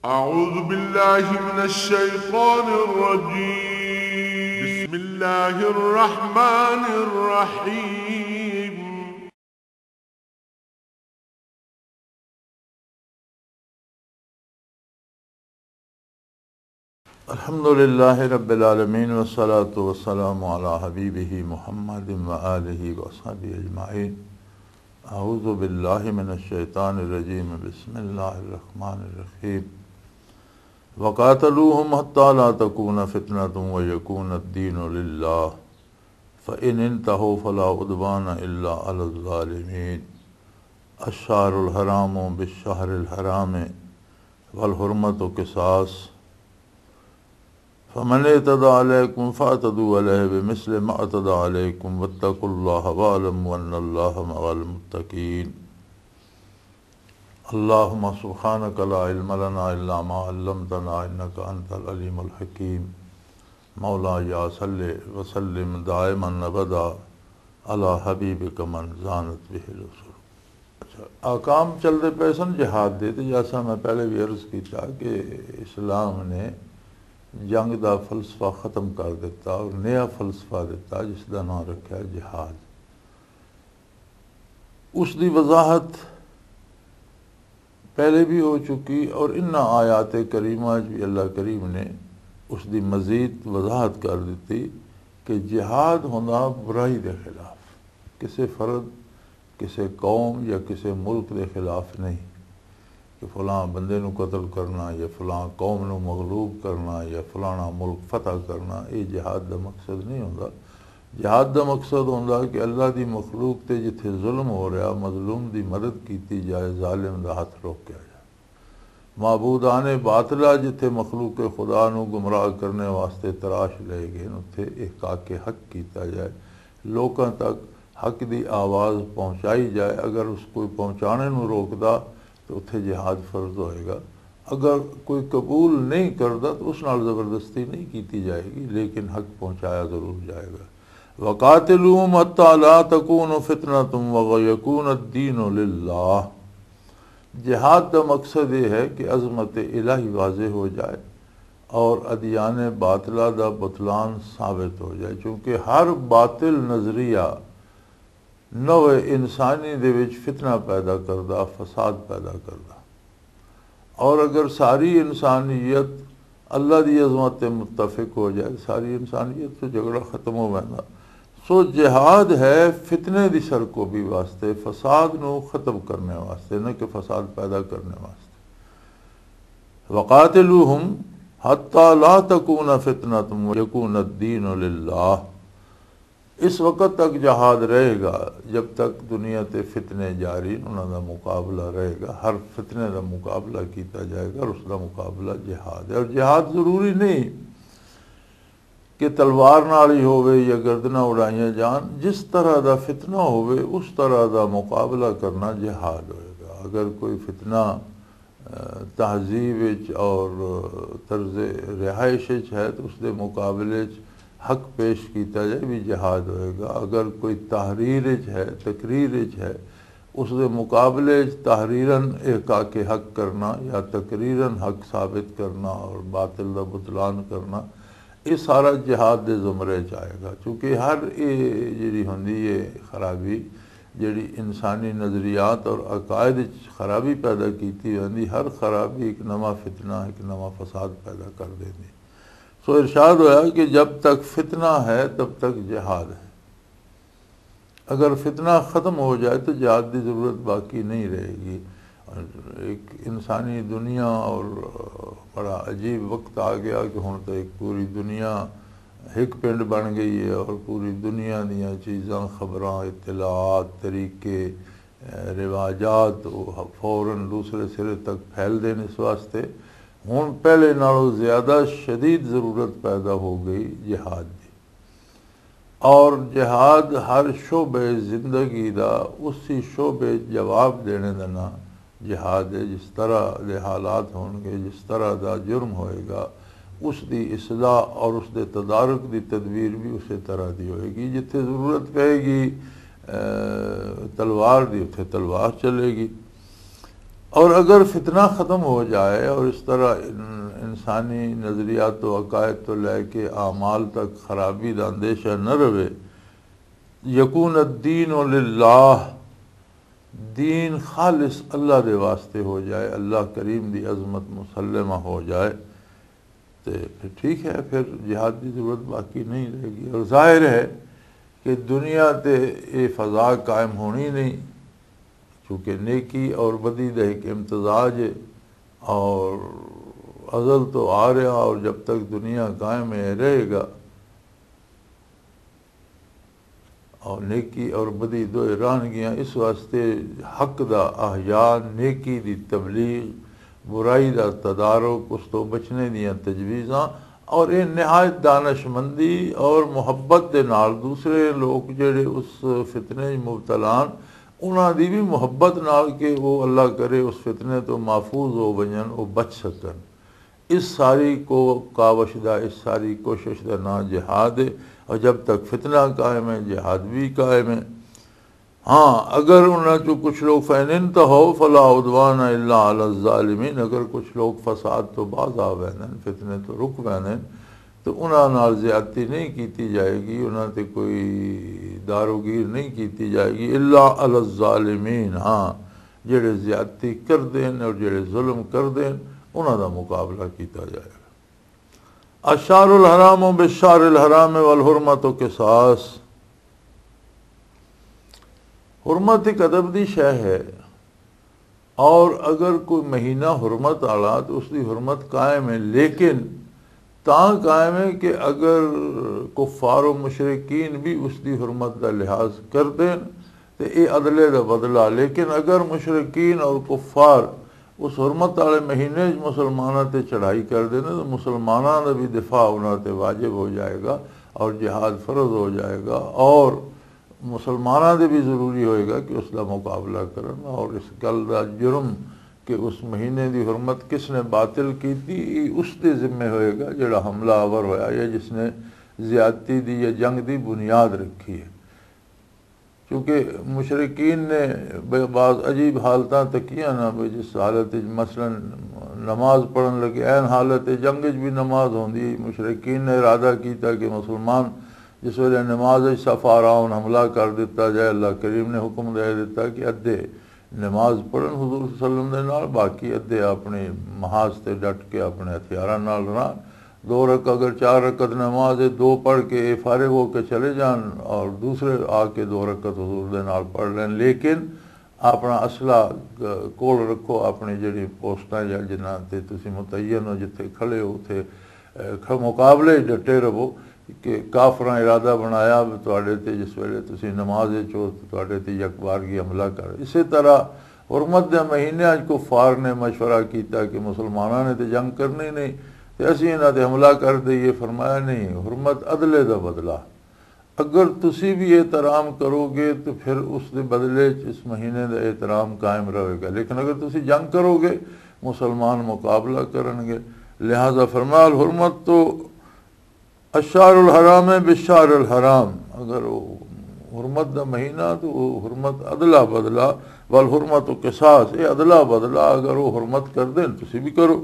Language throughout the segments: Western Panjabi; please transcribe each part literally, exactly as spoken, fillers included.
أعوذ بالله من الشيطان الرجيم. بسم الله الرحمن الرحيم. الحمد لله رب العالمين، والصلاة والسلام على حبيبه محمد وآله وصحبه أجمعين. أعوذ بالله من الشيطان الرجيم. بسم الله الرحمن الرحيم. وقاتلوهم حتى لا تكون فتنة ويكون الدين لله، فإن انتهوا فلا عدوان إلا على الظالمين. الشهر الحرام بالشهر الحرام والحرمة قصاص، فمن اعتدى عليكم فاعتدوا عليه بمثل ما اعتدى عليكم واتقوا الله واعلموا أن الله مع المتقين. اللهم سبحانك لا علم لنا إلا ما علمتنا إنك أنت العليم الحكيم. مولاي صل وسلم دائما أبدا على حبيبك من زانت به العصور. اچھا، احکام چلتے پے سن جہاد دے، تے جیسا میں پہلے بھی عرض کیتا کہ اسلام نے جنگ دا فلسفہ ختم کر دیتا اور نیا فلسفہ دیتا، جس دا نام رکھیا جہاد۔ اس دی وضاحت پہلے بھی ہو چکی، اور انہاں آیات کریمہ وچ بھی اللہ کریم نے اس دی مزید وضاحت کر دتی کہ جہاد ہوندا برائی دے خلاف، کسے فرد، کسے قوم یا کسے ملک دے خلاف نہیں، کہ فلاں بندے نو قتل کرنا یا فلاں قوم نو مغلوب کرنا یا فلانا ملک فتح کرنا، یہ جہاد دا مقصد نہیں ہوندا۔ جہاد دا مقصد ہوندا کہ اللہ دی مخلوق تے جتھے ظلم ہو رہا، مظلوم دی مدد کیتی جائے، ظالم دا ہاتھ روکیا جائے۔ معبودان باطلہ جتھے مخلوق خدا نو گمراہ کرنے واسطے تراش لے گئے، اتھے احقاق حق کیتا جائے، لوکاں تک حق دی آواز پہنچائی جائے۔ اگر اس کوئی پہنچانے نو روکدا تو اتھے جہاد فرض ہوئے گا۔ اگر کوئی قبول نہیں کردا تو اس نال زبردستی نہیں کیتی جائے گی، لیکن حق پہنچایا ضرور جائے گا۔ وقاتلوہم حتی لا تکون فتنۃ ویکون الدین للہ۔ جہاد دا مقصد یہ ہے کہ عظمت الہی واضح ہو جائے اور ادیان باطلہ دا بطلان ثابت ہو جائے، چونکہ ہر باطل نظریہ نوع انسانی دے وچ فتنہ پیدا کردا، فساد پیدا کردا۔ اور اگر ساری انسانیت اللہ دی عظمت تے متفق ہو جائے، ساری انسانیت تو جھگڑا ختم ہو ویندا۔ سو جہاد ہے فتنے دی سرکوبی واسطے، فساد نو ختم کرنے واسطے، نہ کہ فساد پیدا کرنے واسطے۔ وقاتلوہم حتی لا تکون فتنۃ ویکون الدین للہ۔ اس وقت تک جہاد رہے گا جب تک دنیا تے فتنے جاری ہیں، انہاں دا مقابلہ رہے گا۔ ہر فتنے دا مقابلہ کیتا جائے گا اور اس دا مقابلہ جہاد ہے۔ اور جہاد ضروری نہیں کہ تلوار نال ہی ہووے یا گردناں اڑائیاں جان، جس طرح دا فتنہ ہووے اس طرح دا مقابلہ کرنا جہاد ہوئے گا۔ اگر کوئی فتنہ تہذیب وچ اور طرز رہائش وچ ہے تو اس دے مقابلے وچ حق پیش کیتا جائے، بھی جہاد ہوئے گا۔ اگر کوئی تحریر وچ ہے، تقریر وچ ہے، اس دے مقابلے وچ تحریراً احقاق حق کرنا یا تقریراً حق ثابت کرنا اور باطل دا بطلان کرنا، یہ سارا جہاد دے زمرے وچ آئے گا۔ چونکہ ہر یہ جڑی ہوندی ہے خرابی، جڑی انسانی نظریات اور عقائد وچ خرابی پیدا کیتی ہوندی، ہر خرابی ایک نواں فتنہ، ایک نواں فساد پیدا کر دیندی۔ سو ارشاد ہویا کہ جب تک فتنہ ہے تب تک جہاد ہے۔ اگر فتنہ ختم ہو جائے تو جہاد دی ضرورت باقی نہیں رہے گی۔ ایک انسانی دنیا اور بڑا عجیب وقت آ گیا کہ ہن تو ایک پوری دنیا ایک پنڈ بن گئی ہے اور پوری دنیا دیاں چیزاں، خبراں، اطلاعات، طریقے، رواجات وہ فوراً دوسرے سرے تک پھیل دین۔ اس واسطے ہن پہلے نالوں زیادہ شدید ضرورت پیدا ہو گئی جہاد دی۔ اور جہاد ہر شعبے زندگی دا اسی شعبے جواب دینے دا نام جہاد ہے۔ جس طرح دے حالات ہون گے، جس طرح دا جرم ہوئے گا، اس دی اصلاح اور اس دے تدارک دی تدبیر بھی اسی طرح دی ہوئے گی۔ جتھے ضرورت پائے گی، اے، تلوار دی، اتھے تلوار چلے گی۔ اور اگر فتنہ ختم ہو جائے اور اس طرح ان-، انسانی نظریات و عقائد تو لے کے اعمال تک خرابی دا اندیشہ نہ رہے، یکون الدین للہ، دین خالص اللہ دے واسطے ہو جائے، اللہ کریم دی عظمت مسلمہ ہو جائے، تے پھر ٹھیک ہے، پھر جہاد دی ضرورت باقی نہیں رہے گی۔ اور ظاہر ہے کہ دنیا تے یہ فضا قائم ہونی نہیں، چونکہ نیکی اور بدی دا ایک امتزاج ہے، اور ازل تو آ رہا، اور جب تک دنیا قائم ہے، رہے گا۔ اور نیکی اور بدی دوئے رہن گیاں، اس واسطے حق دا احیاء، نیکی دی تبلیغ، برائی دا تدارک، اس تو بچنے دیاں تجویزاں، اور یہ نہایت دانش مندی اور محبت دے نال دوسرے لوگ جڑے اس فتنے وچ مبتلا ہن، انہاں دی بھی محبت نال کہ وہ اللہ کرے اس فتنے تو محفوظ ہو ونجن، وہ بچ سکن۔ اس ساری کو کاوش دا، اس ساری کوشش دا نام جہاد ہے، اور جب تک فتنہ قائم ہے، جہاد بھی قائم ہے۔ ہاں، اگر انہاں چوں کچھ لوگ، فَإِنِ انْتَهَوْا فَلَا عُدْوَانَ إِلَّا عَلَى الظَّالِمِينَ، اگر کچھ لوگ فساد تو باز آ ویندن، فتنے تو رک ویندن، تو انہاں نال زیادتی نہیں کیتی جائے گی، انہاں تے کوئی داروگیر نہیں کیتی جائے گی، الا علی الظالمین، ہاں، جڑے زیادتی کردے ہیں اور جڑے ظلم کردے ہیں، انہاں دا مقابلہ کیتا جائے گا۔ الشہر الحرام بالشہر الحرام والحرمت قصاص۔ حرمت ایک ادب دی شے ہے، اور اگر کوئی مہینہ حرمت والا تو اس دی حرمت قائم ہے، لیکن تاں قائم ہے کہ اگر کفار و مشرکین بھی اس دی حرمت دا لحاظ کر دین تے اے عدلے دا بدلہ، لیکن اگر مشرکین اور کفار اس حرمت والے مہینے وچ مسلماناں تے چڑھائی کر دین تو مسلماناں دا بھی دفاع انہاں تے واجب ہو جائے گا اور جہاد فرض ہو جائے گا، اور مسلماناں دے بھی ضروری ہوئے گا کہ اس دا مقابلہ کرن، اور اس گل دا جرم کہ اس مہینے دی حرمت کس نے باطل کیتی، یہ اس دے ذمے ہوئے گا جڑا حملہ آور ہویا یا جس نے زیادتی دی یا جنگ دی بنیاد رکھی ہے۔ کیونکہ مشرکین نے ب-، بعض عجیب حالتاں تکیاں نا، بھی جس حالت وچ مثلاً نماز پڑھن لگے، عین حالت جنگ وچ بھی نماز ہوندی، مشرکین نے ارادہ کیتا کہ مسلمان جس ویلے نماز وچ صف آراؤن حملہ کر دتا جائے، اللہ کریم نے حکم دے دتا کہ ادھے نماز پڑھن حضور صلی اللہ علیہ وسلم دے نال، باقی ادھے اپنے محاذ تے ڈٹ کے اپنے ہتھیاراں نال رہن۔ دو رکعت، اگر چار رکعت نماز ہے، دو پڑھ کے اے فارغ ہو کے چلے جان اور دوسرے آ کے دو رکعت حضور دے نال پڑھ لین، لیکن اپنا اسلحہ گ-، کول رکھو، اپنی جڑی پوسٹاں یا جنہاں تے تسی متعین ہو، جتھے کھڑے ہو، اتھے، اے، کھ-، مقابلے ڈٹے رہو کہ کافراں ارادہ بنایا بھی تواڈے تے جس ویلے تسی نماز وچ ہو تے تواڈے تے یک بارگی حملہ کر۔ اسی طرح حرمت دے مہینے اچ کفار نے مشورہ کیتا کہ مسلماناں نے تے جنگ کرنی نہیں تے اسی انہاں تے حملہ کر دئیے۔ فرمایا، نہیں، حرمت عدلے دا بدلہ۔ اگر تسی بھی احترام کرو گے تو پھر اس دے بدلے چ اس مہینے دا احترام قائم رہے گا، لیکن اگر تسی جنگ کرو گے، مسلمان مقابلہ کرن گے۔ لہذا فرمایا، الحرمت تو الشہر الحرام ہے بالشہر الحرام، اگر وہ حرمت دا مہینہ تو وہ حرمت عدلہ بدلہ، والحرمت قصاص، اے عدلہ بدلہ، اگر وہ حرمت کر دین تسی بھی کرو۔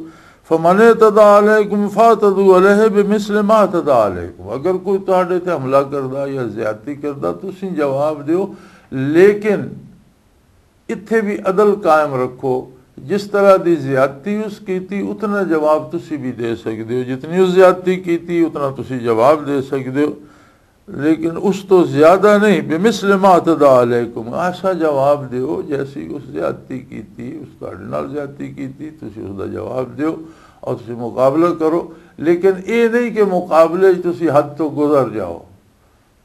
فمن اعتدى عليكم فاعتدوا عليه بمثل ما اعتدى عليكم، اگر کوئی تہاڈے تے حملہ کردا یا زیادتی کردا، تسی جواب دیو، لیکن اتھے بھی عدل قائم رکھو، جس طرح دی زیادتی اس کیتی، اتنا جواب تسی بھی دے سکدے ہو، جتنی اس زیادتی کیتی، اتنا تسی جواب دے سکدے ہو، لیکن اس تو زیادہ نہیں۔ بمثل ما اعتدى عليكم، ایسا جواب دیو جیسی اس زیادتی کیتی، اس تہاڈے نال زیادتی کیتی، تسی اس دا جواب دیو اور تسی مقابلہ کرو، لیکن اے نہیں کہ مقابلے وچ تسی حد تو گزر جاؤ۔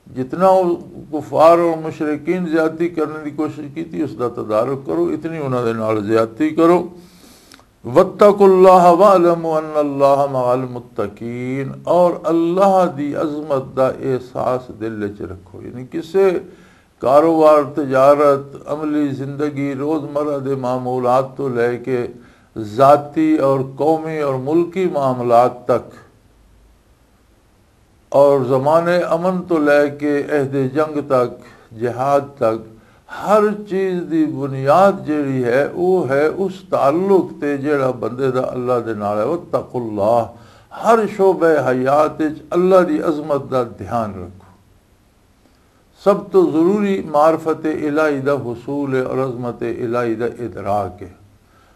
جتنا وہ کفار اور مشرکین زیادتی کرنے دی کوشش کیتی، اس دا تدارک کرو، اتنی انہاں دے نال زیادتی کرو۔ واتقوا اللہ واعلموا ان اللہ مع المتقین، اور اللہ دی عظمت دا احساس دل وچ رکھو۔ یعنی کسے کاروبار، تجارت، عملی زندگی، روزمرہ دے معمولات تو لے کے ذاتی اور قومی اور ملکی معاملات تک، اور زمانے امن تو لے کے عہد جنگ تک، جہاد تک، ہر چیز دی بنیاد جیڑی ہے، وہ ہے اس تعلق تے جیڑا بندے دا اللہ دے نال ہے۔ واتقوا اللہ، ہر شعبہ حیات وچ اللہ دی عظمت دا دھیان رکھو۔ سب تو ضروری معرفت الہی دا حصول ہے اور عظمت الہی دا ادراک ہے۔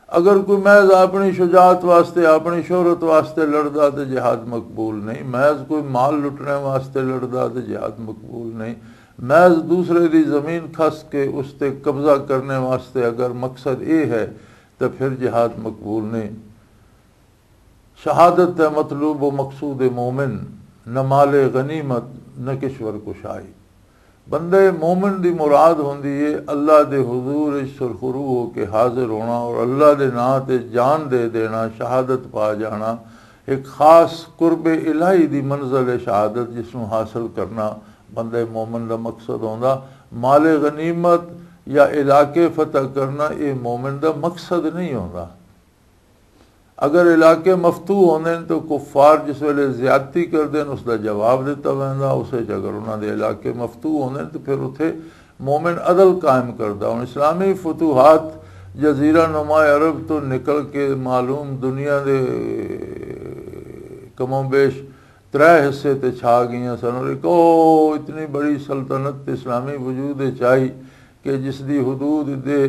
اگر کوئی محض اپنی شجاعت واسطے، اپنی شہرت واسطے لڑدا تے جہاد مقبول نہیں، محض کوئی مال لٹنے واسطے لڑدا تے جہاد مقبول نہیں، محض دوسرے دی زمین کھس کے اس تے قبضہ کرنے واسطے اگر مقصد اے ہے تو پھر جہاد مقبول نہیں۔ شہادت ہے مطلوب و مقصود مومن، نہ مال غنیمت، نہ کشور کشائی۔ بندے مومن دی مراد ہوندی ہے اللہ دے حضور وچ سرخرو ہو کے حاضر ہونا اور اللہ دے ناں تے جان دے دینا، شہادت پا جانا۔ ایک خاص قرب الہی دی منزل ہے شہادت، جس نوں حاصل کرنا بندے مومن دا مقصد ہوندا۔ مال غنیمت یا علاقے فتح کرنا، یہ مومن دا مقصد نہیں ہوندا۔ اگر علاقے مفتوح ہوندے نے تو کفار جس ویلے زیادتی کردے نے، اس دا جواب دتا ویندا۔ اس وچ اگر انہاں دے علاقے مفتوح ہوندے نے تو پھر اتھے مومن عدل قائم کردا۔ ہن اسلامی فتوحات جزیرہ نما عرب تو نکل کے معلوم دنیا دے کم و بیش ترے حصے تے چھا گئیاں سن، اور ایک او اتنی بڑی سلطنت اسلامی وجود وچ آئی کہ جس دی حدود ادے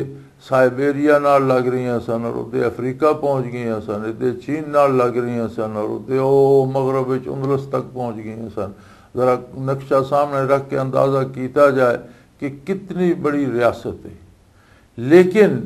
سائبیریا نال لگ رہیاں سن اور ادے افریقہ پہنچ گئیاں سن، ادے چین نال لگ رہیاں سن اور ادے او مغرب وچ اندلس تک پہنچ گئیاں سن۔ ذرا نقشہ سامنے رکھ کے اندازہ کیتا جائے کہ کتنی بڑی ریاست ہے۔ لیکن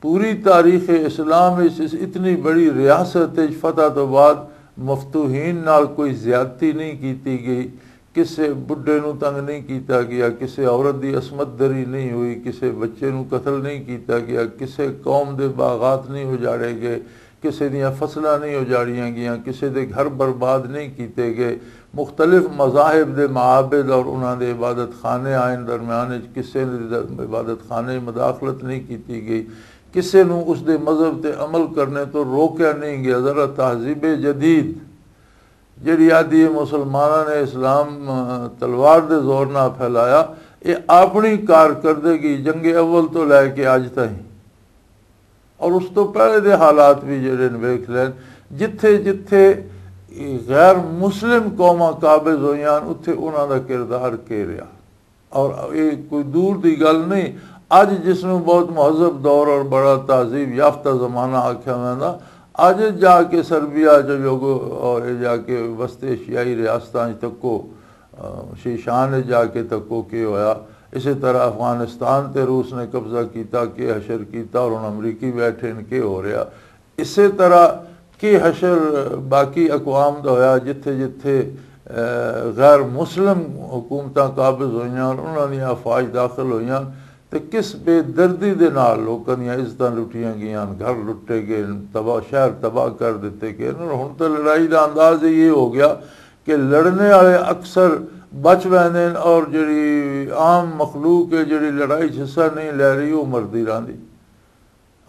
پوری تاریخ اسلام اس، اس اتنی بڑی ریاست وچ فتح تو بعد مفتوحین نال کوئی زیادتی نہیں کیتی گئی، کسے بڈھے نو تنگ نہیں کیتا گیا، کسے عورت دی عصمت دری نہیں ہوئی، کسے بچے نو قتل نہیں کیتا گیا، کسے قوم دے باغات نہیں اجاڑے گئے، کسے دیاں فصلاں نہیں اجاڑیاں گئیاں، کسے دے گھر برباد نہیں کیتے گئے۔ مختلف مذاہب دے معابد اور انہاں دے عبادت خانے آئین درمیان وچ کسے دے عبادت خانے مداخلت نہیں کیتی گئی، کسے نوں اس دے مذہب تے عمل کرنے تو روکیا نہیں گیا۔ ذرا تہذیب جدید جڑی آدھی ہے مسلماناں نے اسلام، آ، تلوار دے زور نہ پھیلایا، یہ اپنی کارکردگی جنگ اول تو لے کے اج تائیں اور اس تو پہلے دے حالات بھی جڑے نے ویکھ لین، جتھے جتھے غیر مسلم قوماں قابض ہوئیاں، اتھے انہاں دا کردار کی رہا۔ اور یہ کوئی دور دی گل نہیں، اج جس نوں بہت مہذب دور اور بڑا تہذیب یافتہ زمانہ آکھیا ویندا، اج جا کے سربیا جو یوگو اور جا کے وسط ایشیائی ریاستاں وچ تکو، آ، شیشان وچ جا کے تکو کی ہویا۔ اسی طرح افغانستان تے روس نے قبضہ کیتا، کی حشر کیتا، اور ہن امریکی بیٹھے نے، کی ہو رہا۔ اسی طرح کی حشر باقی اقوام دا ہویا، جتھے جتھے، آ، غیر مسلم حکومتاں قابض ہوئیاں، انہاں دیاں افواج داخل ہوئیاں، تے کس بے دردی دے نال لوکاں دیاں عزتاں لٹیاں گئیاں، گھر لٹے گئے، تباہ، شہر تباہ کر دتے گئے۔ اور ہن تے لڑائی دا انداز یہ ہو گیا کہ لڑنے والے اکثر بچ ویندے نے اور جڑی عام مخلوق ہے، جڑی لڑائی 'چ حصہ نہیں لے رہی، وہ مردی رہندی۔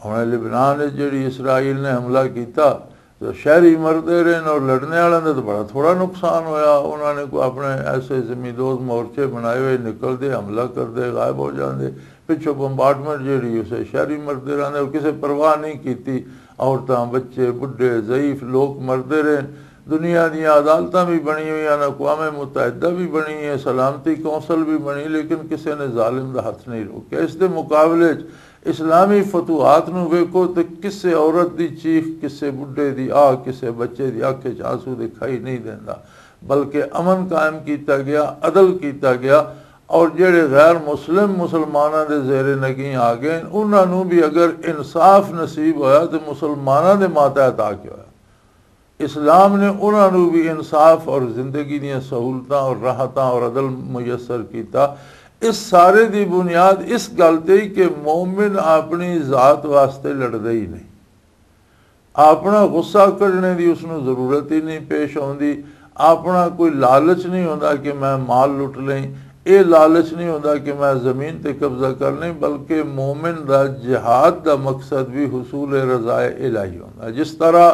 ہن لبنان وچ جڑی اسرائیل نے حملہ کیتا، تو شہری مردے رہے نے اور لڑنے والے دا تو بڑا تھوڑا نقصان ہویا۔ انہاں نے کوئی اپنے ایسے زمین دوز مورچے بنائے ہوئے، نکلدے، حملہ کردے، غائب ہو جاندے۔ پچھوں بمبارڈمنٹ جڑی، اسے شہری مردے رہندے اور کسے پرواہ نہیں کیتی۔ عورتاں، بچے، بڈھے، ضعیف لوگ مردے رہے۔ دنیا دیاں عدالتاں بھی بنی ہوئی ہیں، اقوام متحدہ بھی بنی ہے، سلامتی کونسل بھی بنی، لیکن کسے نے ظالم دا ہاتھ نہیں روکیا۔ اس دے مقابلے 'چ اسلامی فتوحات نوں ویکھو تے کسے عورت دی چیخ، کسے بڈھے دی آہ، کسے بچے دی اکھ 'چ آنسو دکھائی نہیں دیندا، بلکہ امن قائم کیتا گیا، عدل کیتا گیا، اور جڑے غیر مسلم مسلماناں دے زیر نگیں آ گئے، انہاں نوں بھی اگر انصاف نصیب ہویا تے مسلماناں دے ماتحت آ کے ہویا۔ اسلام نے انہاں نوں بھی انصاف اور زندگی دیاں سہولتاں اور راحتاں اور عدل میسر کیتا۔ اس سارے دی بنیاد اس گل تے ہی کہ مومن اپنی ذات واسطے لڑدا ہی نہیں، اپنا غصہ کڈنے دی اس نوں ضرورت ہی نہیں پیش آوندی، اپنا کوئی لالچ نہیں ہوندا کہ میں مال لٹ لیں، اے لالچ نہیں ہوندا کہ میں زمین تے قبضہ کر لیں، بلکہ مومن دا جہاد دا مقصد بھی حصول رضائے الہی ہوندا۔ جس طرح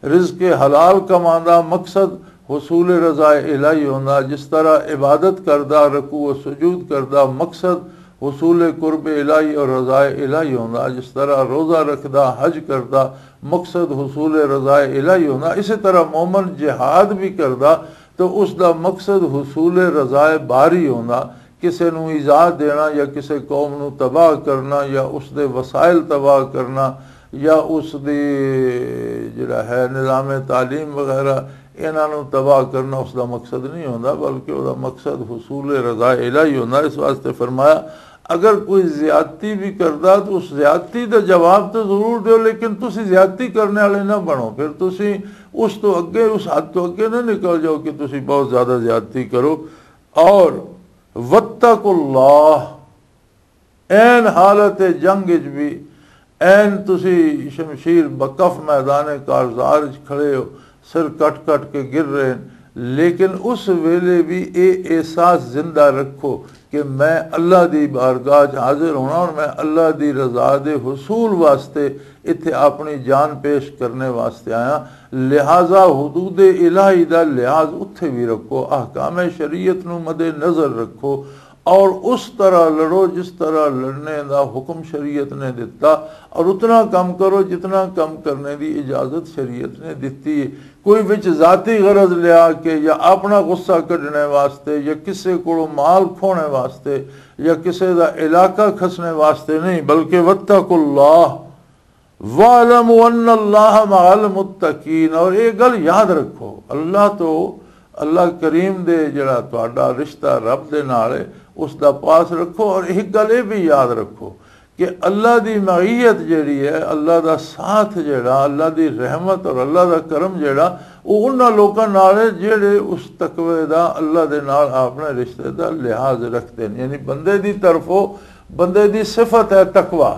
رزق حلال کماندا مقصد حصول رضا الہی ہوندا، جس طرح عبادت کردا، رکوع و سجود کردا مقصد حصول قرب الہی اور رضائے الہی ہوندا۔ جس طرح روزہ رکھدا، حج کردا، مقصد حصول رضائے الہی ہوندا، اسی طرح مومن جہاد بھی کردا تو اس دا مقصد حصول رضائے باری ہوندا۔ کسے نوں ایذا دینا یا کسے قوم نوں تباہ کرنا یا اس دے وسائل تباہ کرنا یا اس دی جڑا ہے نظام تعلیم وغیرہ، انہاں نوں تباہ کرنا اس دا مقصد نہیں ہوندا، بلکہ اس دا مقصد حصول رضا الہی ہوندا۔ اس واسطے فرمایا، اگر کوئی زیادتی بھی کردا تو اس زیادتی دا جواب تو ضرور دیو، لیکن تسی زیادتی کرنے والے نہ بنو۔ پھر تسی اس تو اگے، اس حد تو اگے نہ نکل جاؤ کہ تسی بہت زیادہ زیادتی کرو۔ اور واتقوا اللہ، این حالت جنگ وچ بھی، این تسی شمشیر بکف میدان کارزار وچ کھڑے ہو، سر کٹ کٹ کے گر رہے ہیں، لیکن اس ویلے بھی اے احساس زندہ رکھو کہ میں اللہ دی بارگاہ وچ حاضر ہونا اور میں اللہ دی رضا دے حصول واسطے اتھے اپنی جان پیش کرنے واسطے آیا۔ لہذا حدود الہی دا لحاظ اتھے بھی رکھو، احکام شریعت نو مد نظر رکھو، اور اس طرح لڑو جس طرح لڑنے دا حکم شریعت نے دتا، اور اتنا کم کرو جتنا کم کرنے دی اجازت شریعت نے دتی ہے۔ کوئی وچ ذاتی غرض لیا کے یا اپنا غصہ کڈنے واسطے یا کسے کولوں مال کھونے واسطے یا کسے دا علاقہ کھسنے واسطے نہیں، بلکہ واتقوا اللہ، وَاعْلَمُوا أَنَّ اللَّهَ مَعَ الْمُتَّقِينَ، اور یہ گل یاد رکھو، اللہ تو، اللہ کریم دے جڑا تہاڈا رشتہ رب دے نال ہے، اس دا پاس رکھو۔ اور ایک گل یہ بھی یاد رکھو کہ اللہ دی معیت جڑی ہے، اللہ دا ساتھ جڑا، اللہ دی رحمت اور اللہ دا کرم جڑا، وہ انہاں لوکاں نال ہے جڑے اس تقوی دا، اللہ دے نال اپنے رشتے دا لحاظ رکھتے ہیں۔ یعنی بندے دی طرفوں بندے دی صفت ہے تقوی۔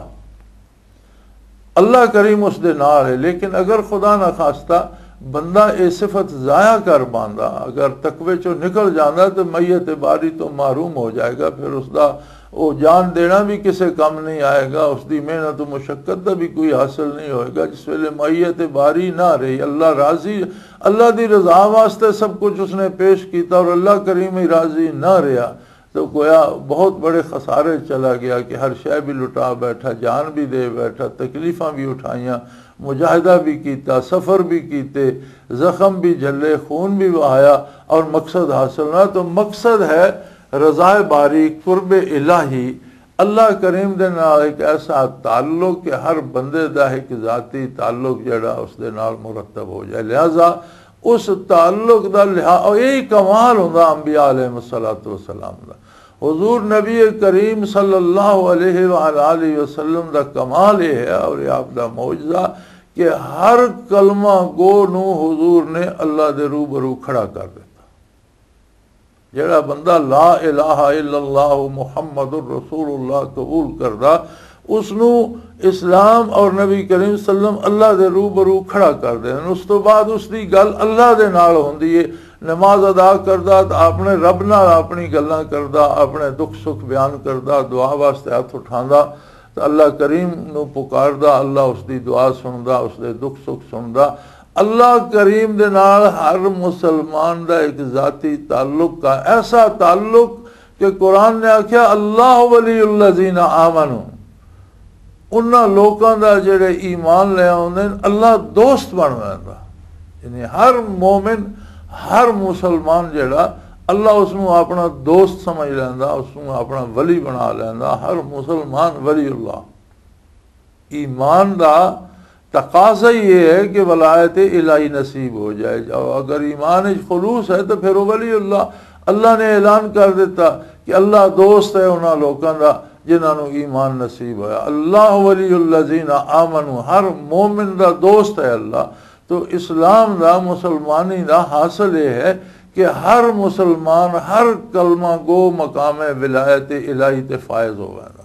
اللہ کریم اس دے نال ہے، لیکن اگر خدا نہ خواستہ بندہ اے صفت ضائع کر باندا، اگر تقوی چوں نکل جاندا تو میت باری تو محروم ہو جائے گا۔ پھر اس دا او جان دینا بھی کسے کم نہیں آئے گا، اس دی محنت و مشقت دا بھی کوئی حاصل نہیں ہوئے گا۔ جس ویلے میت باری نہ رہی، اللہ راضی، اللہ دی رضا واسطے سب کچھ اس نے پیش کیتا اور اللہ کریم ہی راضی نہ رہیا، تو گویا بہت بڑے خسارے چلا گیا کہ ہر شے بھی لٹا بیٹھا، جان بھی دے بیٹھا، تکلیفاں بھی اٹھائیاں، مجاہدہ بھی کیتا، سفر بھی کیتے، زخم بھی جھلے، خون بھی وہایا اور مقصد حاصل نہ۔ تو مقصد ہے رضا باری، قرب الہی، اللہ کریم دے نال ایک ایسا تعلق کہ ہر بندے دا ایک ذاتی تعلق جڑا اس دے نال مرتب ہو جائے۔ لہذا اس تعلق دا لحاظ، اور یہی کمال ہوندا انبیاء علیہ الصلوۃ والسلام دا۔ حضور نبی کریم صلی اللہ علیہ وآلہ وسلم دا کمال یہ ہے اور یہ آپ دا معجزہ کہ ہر کلمہ گو نو حضور نے اللہ دے روبرو کھڑا کر دیتا۔ جڑا بندہ لا الہ الا اللہ محمد الرسول اللہ قبول کردا، اس نو اسلام اور نبی کریم صلی اللہ علیہ وسلم اللہ دے روبرو کھڑا کر دے۔ اس تو بعد اس دی گل اللہ دے نال ہوندی ہے۔ نماز ادا کردا تے اپنے رب نال اپنی گلاں کردا، اپنے دکھ سکھ بیان کردا، دعا واسطے ہاتھ اٹھاندا، تے اللہ کریم نو پکاردا، اللہ اس دی دعا سندا، اس دے دکھ سکھ سندا۔ اللہ کریم دے نال ہر مسلمان دا ایک ذاتی تعلق کا، ایسا تعلق کہ قرآن نے آکھیا، "اللہ ولی الذین آمنوا"، انہاں لوکاں دا جڑے ایمان لے آوندے نے، اللہ دوست بن ویندا۔ یعنی ہر مومن، ہر مسلمان جڑا، اللہ اس نوں اپنا دوست سمجھ لیندا، اس نوں اپنا ولی بنا لیندا۔ ہر مسلمان ولی اللہ۔ ایمان دا تقاضا ہی یہ ہے کہ ولایت الہی نصیب ہو جائے۔ اور اگر ایمان وچ خلوص ہے تو پھر وہ ولی اللہ، اللہ نے اعلان کر دیتا کہ اللہ دوست ہے انہاں لوکاں دا جنہاں نوں ایمان نصیب ہویا۔ اللہ ولی الذین آمنوا، ہر مومن دا دوست ہے اللہ۔ تو اسلام دا، مسلمانی دا حاصل یہ ہے کہ ہر مسلمان، ہر کلمہ گو مقام ولایت الہی تے فائز ہووے گا۔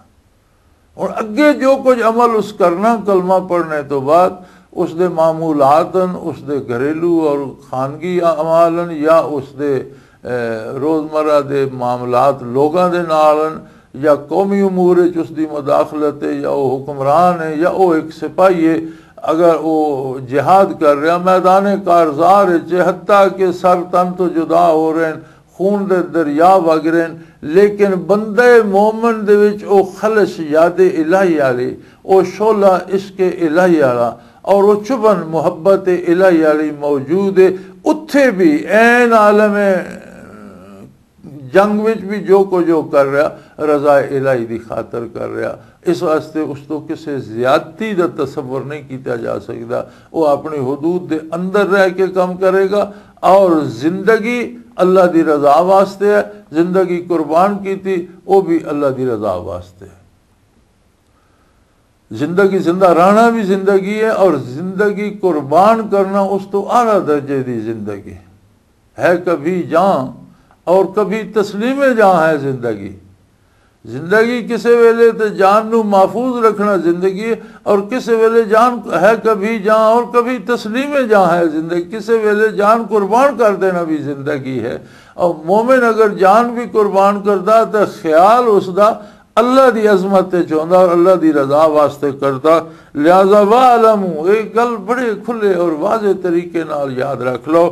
ہن اگے جو کچھ عمل اس کرنا کلمہ پڑھنے تو بعد، اس دے معمولات ہن، اس دے گھریلو اور خانگی اعمال ہن، یا اس دے، اے، روزمرہ دے معاملات لوگاں دے نال ہن، یا قومی امور وچ اس دی مداخلت ہے، یا وہ حکمران ہے، یا وہ ایک سپاہی ہے، اگر وہ جہاد کر رہا میدان کارزار وچ، حتیٰ کہ سر تن تو جدا ہو رہے ہیں، خون دے دریا وگ رہے ہیں، لیکن بندے مومن دے وچ او خلش یاد الہی والی، او شعلہ عشق الہی والا، اور او چبھن محبت الہی والی موجود ہے۔ اتھے بھی عین عالم جنگ وچ بھی جو کچھ وہ کر رہا، رضا الہی دی خاطر کر رہا۔ اس واسطے اس تو کسے زیادتی دا تصور نہیں کیتا جا سکدا۔ وہ اپنی حدود دے اندر رہ کے کم کرے گا، اور زندگی اللہ دی رضا واسطے ہے، زندگی قربان کیتی، وہ بھی اللہ دی رضا واسطے ہے۔ زندگی، زندہ رہنا بھی زندگی ہے، اور زندگی قربان کرنا اس تو اعلیٰ درجے دی زندگی ہے۔ کبھی جان اور کبھی تسلیم جان ہے زندگی۔ زندگی کسے ویلے تے جان نو محفوظ رکھنا زندگی ہے، اور کسے ویلے جان ہے کبھی جان اور کبھی تسلیم جان ہے زندگی۔ کسے ویلے جان قربان کر دینا بھی زندگی ہے۔ اور مومن اگر جان بھی قربان کردا، تے خیال اس دا اللہ دی عظمت تے چوندا اور اللہ دی رضا واسطے کردا۔ لہذا وَاعْلَمُوا، ایک گل بڑے کھلے اور واضح طریقے نال یاد رکھ لو،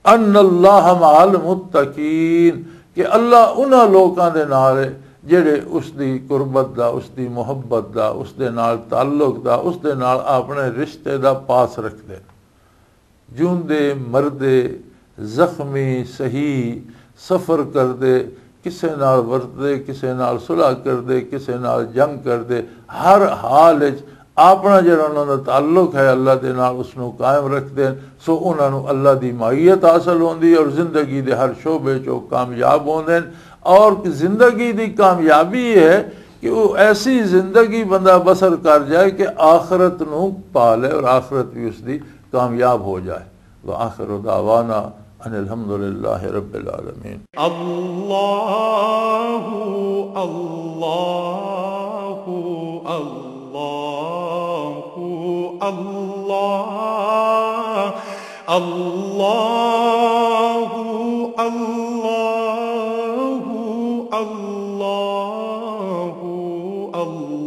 ان اللہ مع المتقین، کہ اللہ انہاں لوکاں دے نال ہے جڑے اس دی قربت دا، اس دی محبت دا، اس دے نال تعلق دا، اس دے نال اپنے رشتے دا پاس رکھدے۔ جوندے مردے، زخمی صحیح، سفر کردے، کسے نال ورتدے، کسے نال صلح کردے، کسے نال جنگ کردے، ہر حال وچ اپنا جڑا انہاں دا تعلق ہے اللہ دے نال، اس نوں قائم رکھدے ہن۔ سو انہاں نوں اللہ دی معیت حاصل ہوندی ہے اور زندگی دے ہر شعبے چ او کامیاب ہوندے ہن۔ اور زندگی دی کامیابی یہ ہے کہ وہ ایسی زندگی بندہ بسر کر جائے کہ آخرت نوں پا لے اور آخرت بھی اس دی کامیاب ہو جائے۔ وآخر دعوانا ان الحمد للہ رب العالمین۔ اللہ، اللہ، اللہ، اللہ، اللہ، اللہ، اللہ، اللہ۔